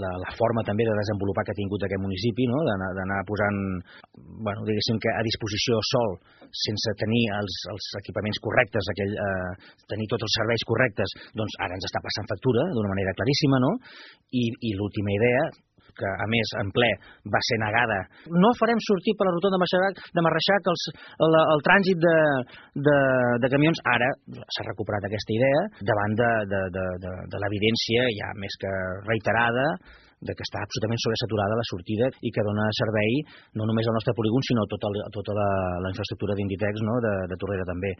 la forma també de desenvolupar que ha tingut aquest municipi, no? D'anar posant, diguéssim que a disposició sòl sense tenir els equipaments correctes, tenir tots els serveis correctes, doncs ara ens està passant factura d'una manera claríssima, no? I l'última idea, que a més en ple va ser negada. No farem sortir per la rotonda de Marreixac el trànsit de camions. Ara s'ha recuperat aquesta idea davant de l'evidència ja més que reiterada de que està absolutament sobresaturada la sortida i que dona servei no només al nostre polígon sinó a tota la infraestructura d'Inditex, no? de Tordera també.